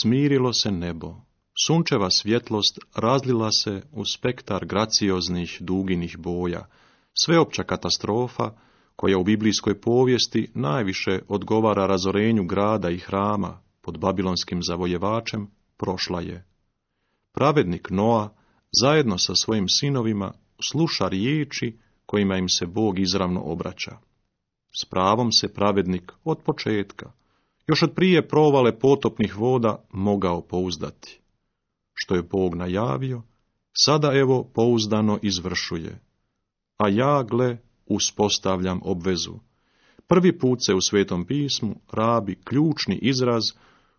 smirilo se nebo, sunčeva svjetlost razlila se u spektar gracioznih duginih boja, sveopća katastrofa, koja u biblijskoj povijesti najviše odgovara razorenju grada i hrama pod babilonskim zavojevačem, prošla je. Pravednik Noa, zajedno sa svojim sinovima, sluša riječi kojima im se Bog izravno obraća. S pravom se pravednik od početka, još od prije provale potopnih voda, mogao pouzdati. Što je Bog najavio, sada evo pouzdano izvršuje. A ja, gle, uspostavljam obvezu. Prvi put se u Svetom pismu rabi ključni izraz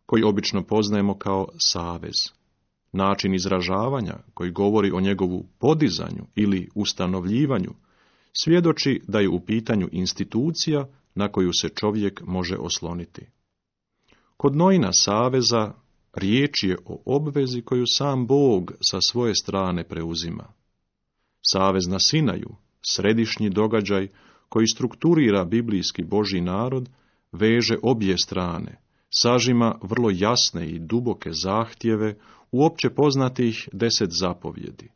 koji obično poznajemo kao savez. Način izražavanja koji govori o njegovu podizanju ili ustanovljivanju svjedoči da je u pitanju institucija na koju se čovjek može osloniti. Kod Noina saveza riječ je o obvezi koju sam Bog sa svoje strane preuzima. Savez na Sinaju, središnji događaj koji strukturira biblijski Božji narod, veže obje strane, sažima vrlo jasne i duboke zahtjeve u opće poznatih 10 zapovjedi.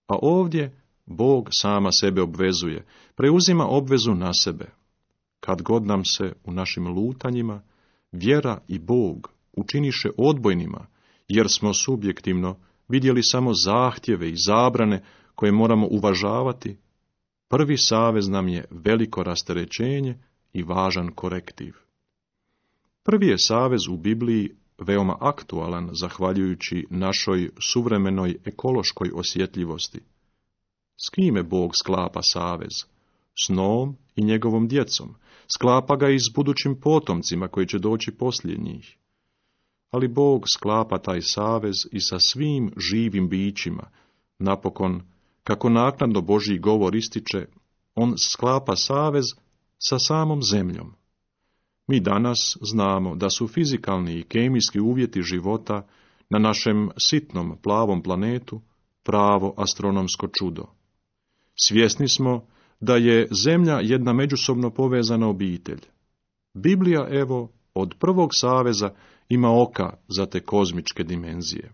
A ovdje Bog sama sebe obvezuje, preuzima obvezu na sebe. Kad god nam se u našim lutanjima vjera i Bog učiniše odbojnima, jer smo subjektivno vidjeli samo zahtjeve i zabrane koje moramo uvažavati, prvi savez nam je veliko rasterećenje i važan korektiv. Prvi je savez u Bibliji veoma aktualan zahvaljujući našoj suvremenoj ekološkoj osjetljivosti. S kime Bog sklapa savez? S Noom i njegovom djecom. Sklapa ga i s budućim potomcima koji će doći poslije njih. Ali Bog sklapa taj savez i sa svim živim bićima. Napokon, kako naknadno Božji govor ističe, on sklapa savez sa samom zemljom. Mi danas znamo da su fizikalni i kemijski uvjeti života na našem sitnom plavom planetu pravo astronomsko čudo. Svjesni smo da je zemlja jedna međusobno povezana obitelj. Biblija, evo, od prvog saveza ima oka za te kozmičke dimenzije.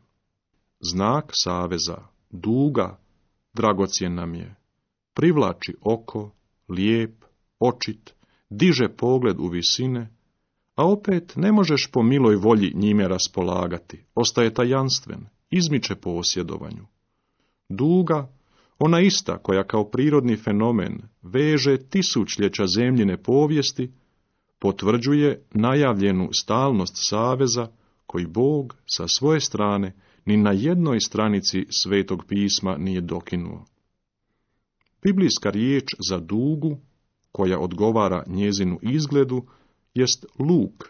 Znak saveza, duga, dragocjen nam je. Privlači oko, lijep, očit, diže pogled u visine, a opet ne možeš po miloj volji njime raspolagati, ostaje tajanstven, izmiče posjedovanju. Duga, ona ista koja kao prirodni fenomen veže tisućljeća zemljine povijesti, potvrđuje najavljenu stalnost saveza koji Bog sa svoje strane ni na jednoj stranici Svetog pisma nije dokinuo. Biblijska riječ za dugu, koja odgovara njezinu izgledu, jest luk.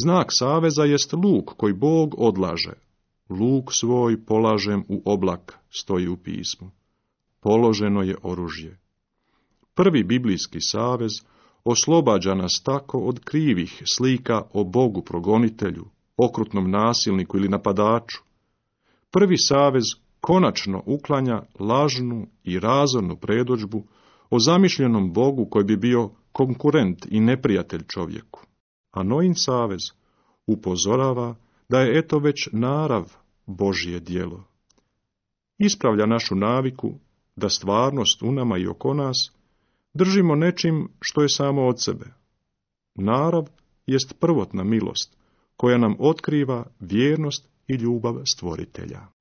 Znak saveza jest luk koji Bog odlaže. Luk svoj polažem u oblak, stoji u pismu. Položeno je oružje. Prvi biblijski savez oslobađa nas tako od krivih slika o Bogu progonitelju, okrutnom nasilniku ili napadaču. Prvi savez konačno uklanja lažnu i razornu predodžbu o zamišljenom Bogu koji bi bio konkurent i neprijatelj čovjeku. A Noin savez upozorava da je eto već narav Božje djelo. Ispravlja našu naviku da stvarnost u nama i oko nas držimo nečim što je samo od sebe. Narav jest prvotna milost koja nam otkriva vjernost i ljubav Stvoritelja.